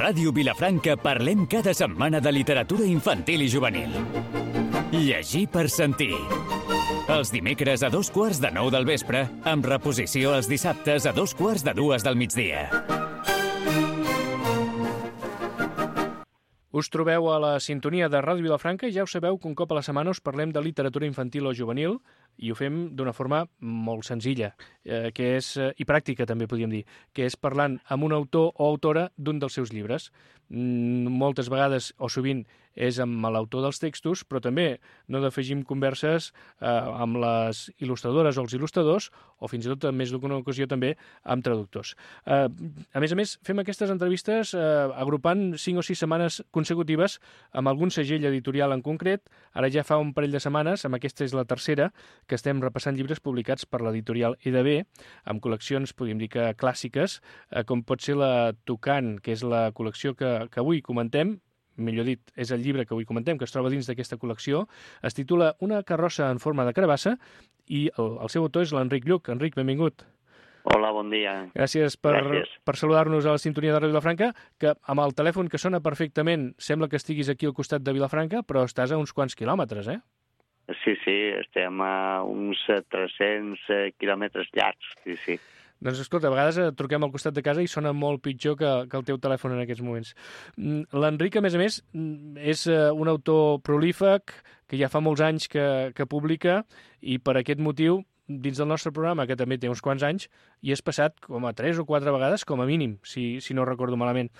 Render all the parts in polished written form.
Ràdio Vilafranca parlem cada setmana de literatura infantil i juvenil. Llegir per sentir. Els dimecres a 8:45 del vespre, amb reposició els dissabtes a 2:45 del migdia. Us trobeu a la sintonia de Ràdio Vilafranca i ja ho sabeu que un cop a la setmana us parlem de literatura infantil o juvenil i ho fem d'una forma molt senzilla i pràctica també podríem dir, que és parlant amb un autor o autora d'un dels seus llibres. Moltes vegades o sovint és amb l'autor dels textos, però també no defegim converses amb les il·lustradores o els il·lustradors o fins i tot en més d'una ocasió també amb traductors. A més, fem aquestes entrevistes agrupant 5 o 6 setmanes consecutives amb algun segell editorial en concret. Ara ja fa un parell de setmanes, amb aquesta és la tercera, que estem repassant llibres publicats per l'editorial EDB, amb col·leccions, podríem dir que clàssiques, com pot ser la Tucán, que és la col·lecció que avui comentem, millor dit, és el llibre que avui comentem, que es troba dins d'aquesta col·lecció. Es titula Una carrossa en forma de carabassa i el seu autor és l'Enric Lluch. Enric, benvingut. Hola, bon dia. Gràcies per saludar-nos a la sintonia de Ràdio Vilafranca, que amb el telèfon que sona perfectament sembla que estiguis aquí al costat de Vilafranca, però estàs a uns quants quilòmetres, eh? Sí, estem a uns 300 quilòmetres llargs, sí. Doncs escolta, a vegades truquem al costat de casa i sona molt pitjor que el teu telèfon en aquests moments. L'Enric, a més, és un autor prolífic que ja fa molts anys que publica i per aquest motiu, dins del nostre programa, que també té uns quants anys, hi has passat com a 3 o 4 vegades, com a mínim, si no recordo malament.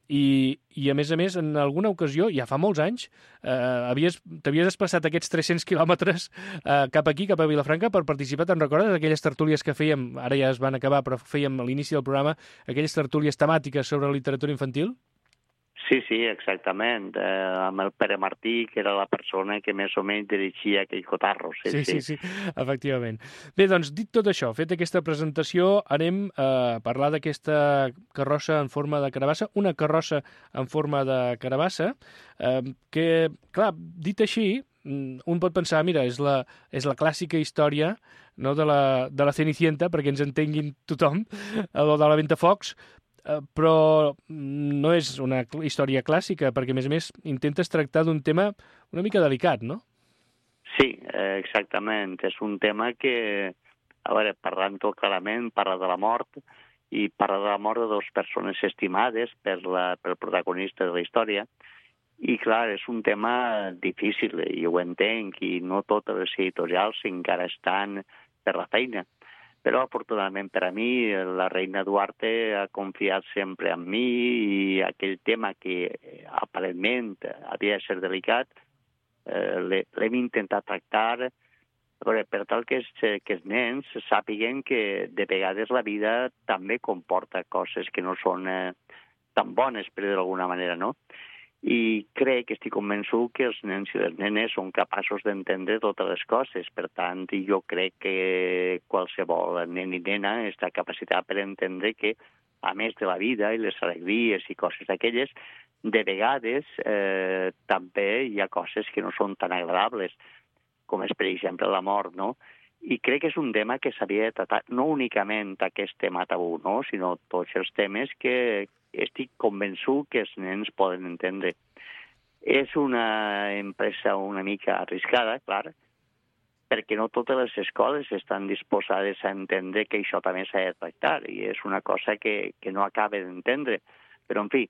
I a més, en alguna ocasió, ja fa molts anys, t'havies desplaçat aquests 300 quilòmetres cap aquí, cap a Vilafranca, per participar. Te'n recordes d'aquelles tertúlies que fèiem, ara ja es van acabar, però fèiem a l'inici del programa, aquelles tertúlies temàtiques sobre literatura infantil? Sí, exactament. Amb el Pere Martí, que era la persona que més o menys dirigia aquell cotarro. Sí, efectivament. Bé, doncs, dit tot això, fet aquesta presentació, anem a parlar d'aquesta carrossa en forma de carabassa, una carrossa en forma de carabassa, que, clar, dit així, un pot pensar, mira, és la clàssica història, no, de la Cenicienta, perquè ens entenguin tothom, o de la Ventafocs, però no és una història clàssica, perquè, a més, intentes tractar d'un tema una mica delicat, no? Sí, exactament. És un tema que, a veure, parlant-ho clarament, parla de la mort, i parla de la mort de 2 persones estimades pel protagonista de la història, i, clar, és un tema difícil, i ho entenc, i no totes les editorials encara estan per la feina. Però, afortunadament per a mi, la reina Duarte ha confiat sempre en mi i aquell tema que aparentment havia de ser delicat l'hem intentat tractar per tal que els nens sàpiguen que de vegades la vida també comporta coses que no són tan bones, per dir d'alguna manera, no? I estic convençut que els nens i les nenes són capaços d'entendre totes les coses. Per tant, jo crec que qualsevol nen i nena està capacitat per entendre que, a més de la vida i les alegries i coses d'aquelles, de vegades també hi ha coses que no són tan agradables, com és, per exemple, la mort, no? I crec que és un tema que s'havia de tractar, no únicament aquest tema tabú, no? Sinó tots els temes que estic convençut que els nens poden entendre. És una empresa una mica arriscada, clar, perquè no totes les escoles estan disposades a entendre que això també s'ha de tractar, i és una cosa que no acaba d'entendre. Però, en fi,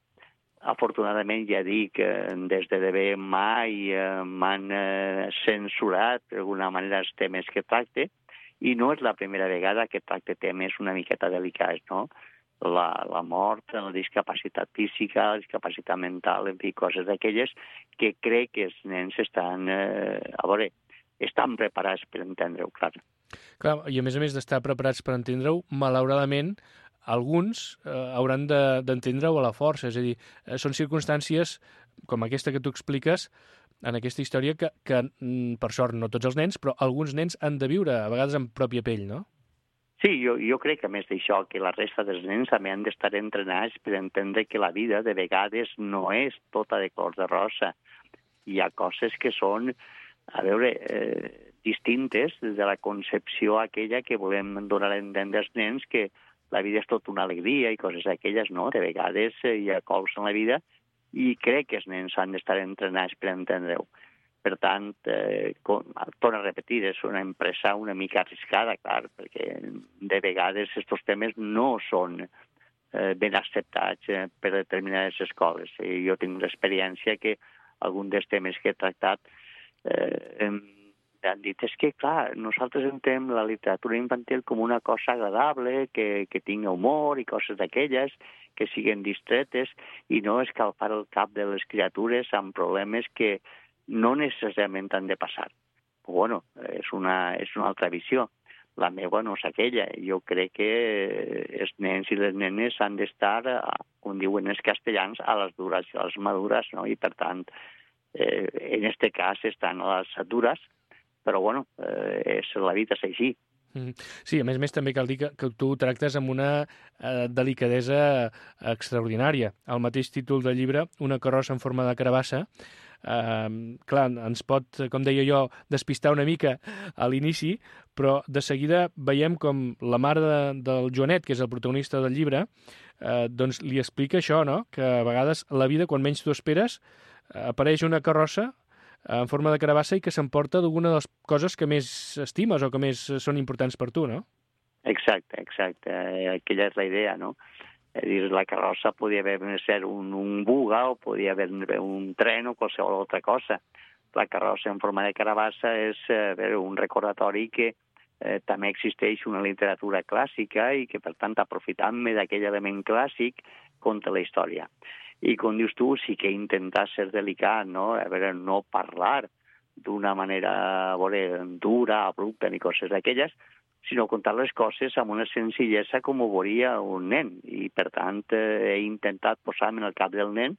afortunadament ja dic, des de DB mai m'han censurat d'alguna manera els temes que tracte, i no és la primera vegada que tracte temes una miqueta delicats, no? La mort, la discapacitat física, la discapacitat mental, en fi, coses d'aquelles que crec que els nens estan preparats per entendre-ho, clar. Clar, i a més d'estar preparats per entendre-ho, malauradament, alguns hauran d'entendre-ho a la força, és a dir, són circumstàncies com aquesta que tu expliques en aquesta història que per sort, no tots els nens, però alguns nens han de viure, a vegades en pròpia pell, no? Sí, jo crec, a més d'això, que la resta dels nens també han d'estar entrenats per entendre que la vida de vegades no és tota de color de rosa. Hi ha coses que són, distintes des de la concepció aquella que volem donar a entendre als nens que la vida és tot una alegria i coses d'aquelles, no? De vegades hi ha cols en la vida i crec que els nens han d'estar entrenats per entendre-ho. Per tant, torno a repetir, és una empresa una mica arriscada, clar, perquè de vegades aquests temes no són ben acceptats per determinades escoles. Jo tinc l'experiència que algun dels temes que he tractat han dit, és que, clar, nosaltres entenem la literatura infantil com una cosa agradable, que tingui humor i coses d'aquelles, que siguin distretes, i no escalfar el cap de les criatures amb problemes que no necessàriament han de passar. Però, bueno, és una altra visió. La meva no és aquella. Jo crec que els nens i les nenes han d'estar, com diuen els castellans, a les dures i a les madures, no? I, per tant, en aquest cas estan a les dures, però, bueno, la vida és així. Sí, a més també cal dir que tu tractes amb una delicadesa extraordinària. El mateix títol del llibre, Una carrossa en forma de carabassa, clar, ens pot, com deia jo, despistar una mica a l'inici, però de seguida veiem com la mare del Joanet, que és el protagonista del llibre, doncs li explica això, no? Que a vegades la vida, quan menys t'ho esperes, apareix una carrossa en forma de carabassa i que s'emporta d'alguna de les coses que més estimes o que més són importants per tu, no? Exacte. Aquella és la idea, no? És dir, la carrossa podia haver ser un buga o podia haver un tren o qualsevol altra cosa. La carrossa en forma de carabassa és un recordatori que també existeix una literatura clàssica i que, per tant, aprofitant-me d'aquell element clàssic, conta la història. I, com dius tu, sí que intentar ser delicat, no? A veure, no parlar d'una manera, dura, abrupta ni coses d'aquelles, sinó contar les coses amb una senzillesa com ho veuria un nen. I, per tant, he intentat posar-me en el cap del nen,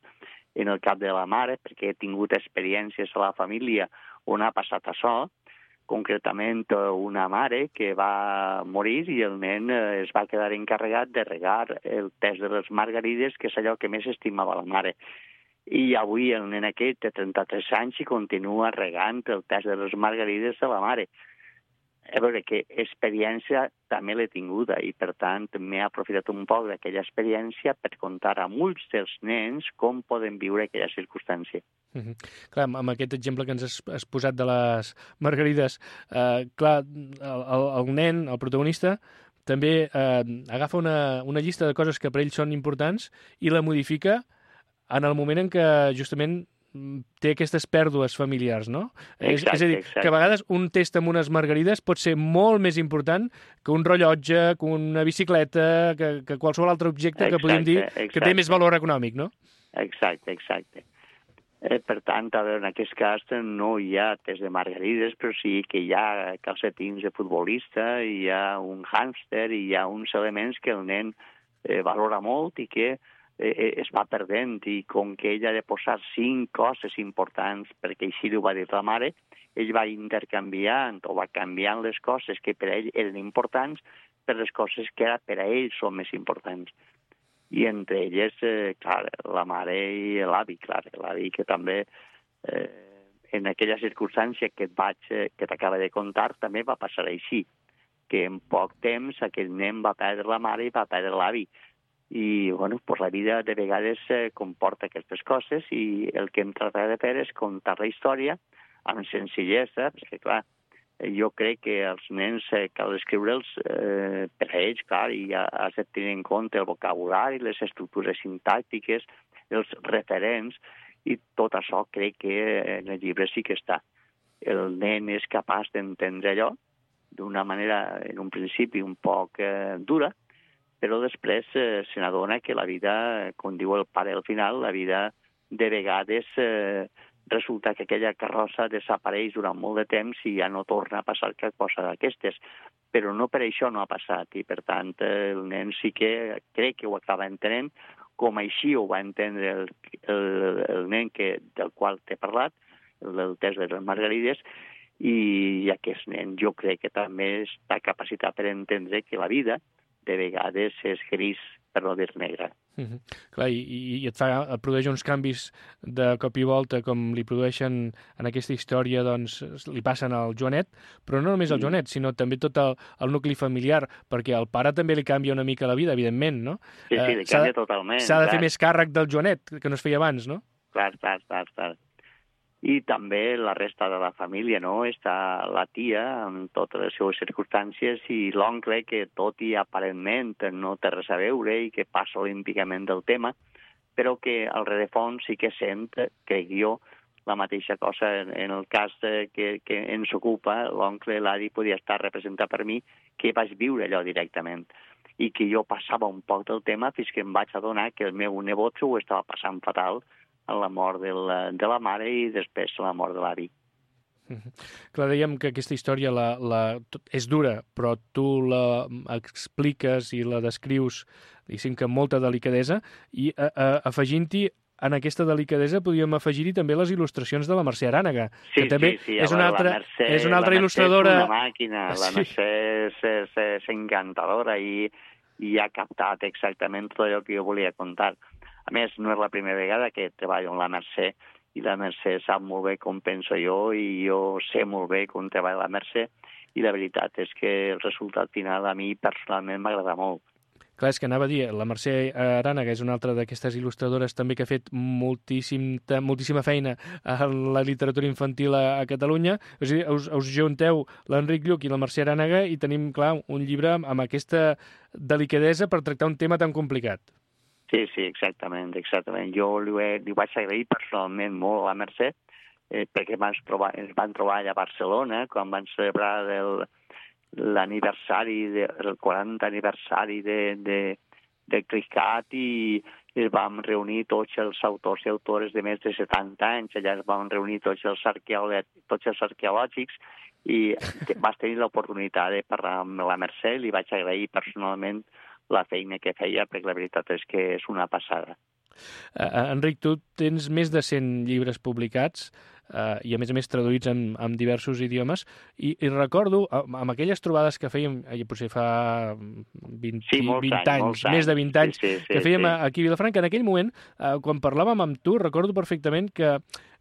en el cap de la mare, perquè he tingut experiències a la família on ha passat això, concretament una mare que va morir i el nen es va quedar encarregat de regar el test de les margarides, que és allò que més estimava la mare. I avui el nen aquest té 33 anys i continua regant el test de les margarides de la mare. A veure, que experiència també l'he tinguda i, per tant, m'he aprofitat un poc d'aquella experiència per contar a molts dels nens com poden viure aquella circumstància. Clar, amb aquest exemple que ens has posat de les margarides, clar, el nen, el protagonista, també agafa una llista de coses que per ell són importants i la modifica en el moment en què justament té aquestes pèrdues familiars, no? Exacte, és a dir, que a vegades un test amb unes margarides pot ser molt més important que un rellotge, que una bicicleta, que qualsevol altre objecte que podem dir que té més valor econòmic, no? Exacte. Per tant, a veure, en aquest cas no hi ha test de margarides, però sí que hi ha calcetins de futbolista, hi ha un hàmster, hi ha uns elements que el nen valora molt i que es va perdent, i com que ell ha de posar 5 coses importants, perquè així ho va dir la mare, ell va intercanviant o va canviant les coses que per a ell eren importants per les coses que per a ell són més importants. I entre elles, clar, la mare i l'avi, clar, l'avi que també en aquella circumstància que t'acaba de contar també va passar així, que en poc temps aquell nen va perdre la mare i va perdre l'avi. I, bueno, pues la vida de vegades comporta aquestes coses i el que hem tratat de fer és contar la història amb senzillesa, perquè, clar, jo crec que els nens cal escriure'ls per a ells, clar, i has de tenir en compte el vocabulari, les estructures sintàctiques, els referents, i tot això crec que en el llibre sí que està. El nen és capaç d'entendre allò d'una manera, en un principi, un poc dura, però després se n'adona que la vida, com diu el pare al final, la vida de vegades resulta que aquella carrossa desapareix durant molt de temps i ja no torna a passar cap cosa d'aquestes. Però no per això no ha passat, i per tant el nen sí que crec que ho acaba entenent, com així ho va entendre el nen del qual t'he parlat, el del test de les margarides, i aquest nen jo crec que també està capacitat per entendre que la vida de vegades és gris per no dir negra. Clar, i et produeix uns canvis de cop i volta, com li produeixen en aquesta història, doncs li passen al Joanet, però no només al Joanet, sinó també tot el nucli familiar, perquè al pare també li canvia una mica la vida, evidentment, no? Sí, li canvia totalment. S'ha de fer més càrrec del Joanet, que no es feia abans, no? Clar. I també la resta de la família, no? Està la tia amb totes les seves circumstàncies i l'oncle que tot i aparentment no té res a veure i que passa olímpicament del tema, però que al rerefons sí que sent, crec jo, la mateixa cosa. En el cas que ens ocupa, l'oncle Ladi podia estar representat per mi, que vaig viure allò directament i que jo passava un poc del tema fins que em vaig adonar que el meu nebot s'ho estava passant fatal a la mort de la mare i després la mort de l'avi. Clar, dèiem que aquesta història és dura, però tu la expliques i la descrius, diguéssim que amb molta delicadesa, i afegint-hi en aquesta delicadesa podríem afegir-hi també les il·lustracions de la Mercè Arànega, que també és una altra il·lustradora... És una màquina, la Mercè és encantadora i ha captat exactament tot allò que jo volia contar. A més, no és la primera vegada que treballo amb la Mercè, i la Mercè sap molt bé com penso jo, i jo sé molt bé com treballa la Mercè, i la veritat és que el resultat final a mi personalment m'agrada molt. Clar, és que anava a dir, la Mercè Arànega és una altra d'aquestes il·lustradores també que ha fet moltíssima feina en la literatura infantil a Catalunya. És a dir, us junteu l'Enric Lluch i la Mercè Arànega i tenim, clar, un llibre amb aquesta delicadesa per tractar un tema tan complicat. Sí, exactament. Jo li vaig agrair personalment molt a la Mercè, perquè ens van trobar allà a Barcelona quan van celebrar l'aniversari, el 40 aniversari de CRISCAT, i ens vam reunir tots els autors i autores de més de 70 anys, allà ens vam reunir tots els arqueològics, i vas tenir l'oportunitat de parlar amb la Mercè, li vaig agrair personalment la feina que feia, perquè la veritat és que és una passada. Enric, tu tens més de 100 llibres publicats i a més traduïts en diversos idiomes, i recordo, amb aquelles trobades que fèiem, potser fa 20 anys, més de 20 anys, que fèiem aquí a Vilafranca, en aquell moment, quan parlàvem amb tu, recordo perfectament que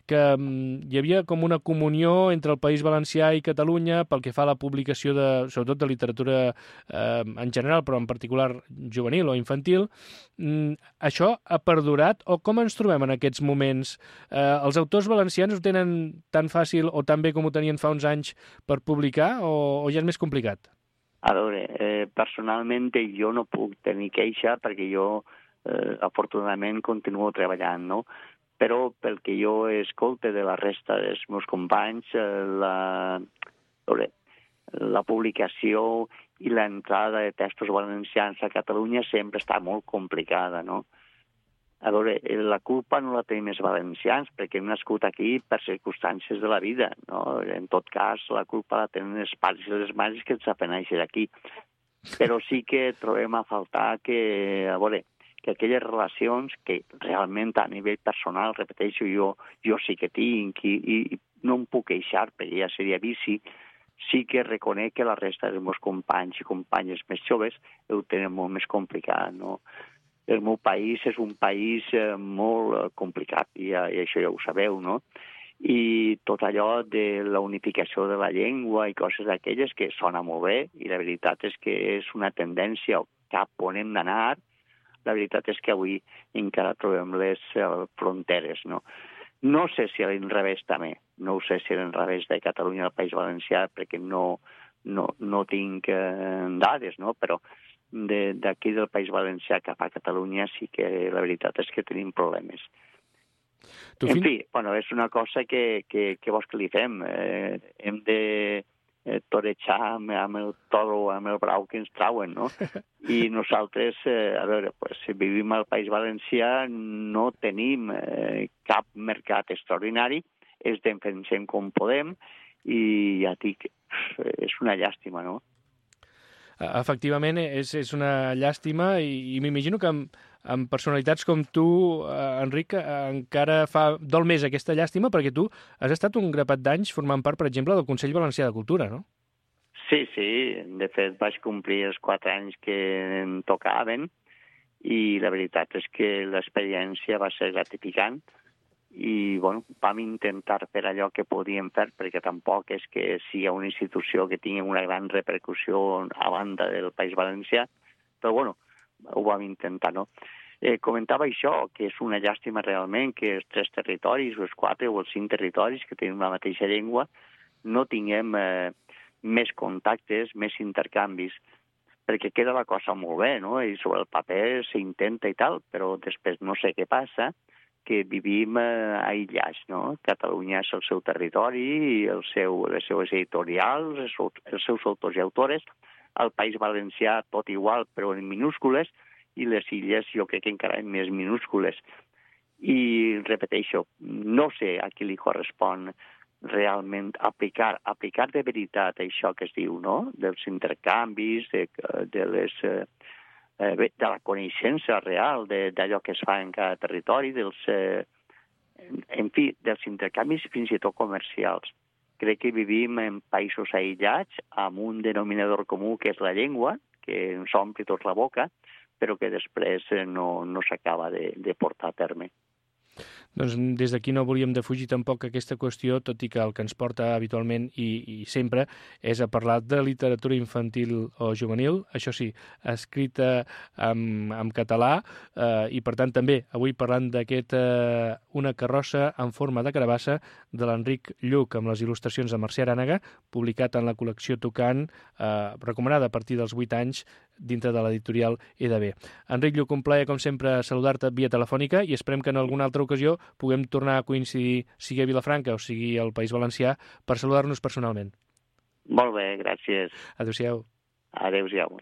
hi havia com una comunió entre el País Valencià i Catalunya pel que fa a la publicació, sobretot de literatura en general, però en particular juvenil o infantil. Això ha perdurat, o com ens trobem en aquests moments? Els autors valencians ho tenen tan fàcil o tan bé com ho tenien fa uns anys per publicar, o ja és més complicat? A veure, personalment jo no puc tenir queixa perquè jo afortunadament continuo treballant, no? Però pel que jo escolte de la resta dels meus companys, la publicació i l'entrada de textos valencians a Catalunya sempre està molt complicada, no? A veure, la culpa no la tenim els valencians, perquè hem nascut aquí per circumstàncies de la vida, no? En tot cas, la culpa la tenen els pares i les mares que ens van néixer aquí. Però sí que trobem a faltar que aquelles relacions que realment a nivell personal, repeteixo, jo sí que tinc i no em puc queixar perquè ja seria vici, sí que reconec que la resta dels meus companys i companyes més joves ho tenen molt més complicat, no? El meu país és un país molt complicat i això ja ho sabeu, no? I tot allò de la unificació de la llengua i coses d'aquelles que sona molt bé, i la veritat és que és una tendència cap on hem d'anar. La veritat és que avui encara trobem les fronteres, no? No sé si a l'inrevés també, no ho sé si a l'inrevés de Catalunya al País Valencià, perquè no tinc dades, no? Però d'aquí del País Valencià cap a Catalunya sí que la veritat és que tenim problemes. En fi, és una cosa que vols que li fem? Hem de torejar amb el toro, amb el brau que ens trauen, no? I nosaltres, si vivim al País Valencià, no tenim cap mercat extraordinari, ens defensem com podem, i ja dic, és una llàstima, no? Efectivament, és una llàstima, i m'imagino que amb personalitats com tu, Enric, encara dol més aquesta llàstima, perquè tu has estat un grapat d'anys formant part, per exemple, del Consell Valencià de Cultura, no? Sí, de fet vaig complir els 4 anys que em tocaven, i la veritat és que l'experiència va ser gratificant i bueno, vam intentar fer allò que podíem fer, perquè tampoc és que sigui una institució que tingui una gran repercussió a banda del País Valencià, però bueno, ho vam intentar, no? Comentava això, que és una llàstima realment que els 3 territoris, o els 4 o els 5 territoris que tenen la mateixa llengua, no tinguem més contactes, més intercanvis, perquè queda la cosa molt bé, no? I sobre el paper s'intenta i tal, però després no sé què passa, que vivim aïllats, no? Catalunya és el seu territori, les seues editorials, els seus autors i autores, el País Valencià tot igual, però en minúscules, i les illes jo crec que encara en més minúscules. I repeteixo, no sé a qui li correspon realment aplicar de veritat això que es diu, no? Dels intercanvis, de la coneixença real d'allò que es fa en cada territori, en fi, dels intercanvis fins i tot comercials. Crec que vivim en països aïllats amb un denominador comú que és la llengua, que ens ompli tot la boca, però que després no s'acaba de portar a terme. Doncs des d'aquí no volíem defugir tampoc aquesta qüestió, tot i que el que ens porta habitualment i sempre és a parlar de literatura infantil o juvenil, això sí, escrita en català, i per tant també avui parlant d'aquest Una carrossa en forma de carabassa de l'Enric Lluch, amb les il·lustracions de Mercè Arànega, publicat en la col·lecció Tocant, recomanada a partir dels 8 anys dintre de l'editorial EDB. Enric Lluch, un plaer, com sempre, saludar-te via telefònica i esperem que en alguna altra ocasió puguem tornar a coincidir, sigui a Vilafranca o sigui al País Valencià, per saludar-nos personalment. Molt bé, gràcies. Adéu-siau. Adéu-siau.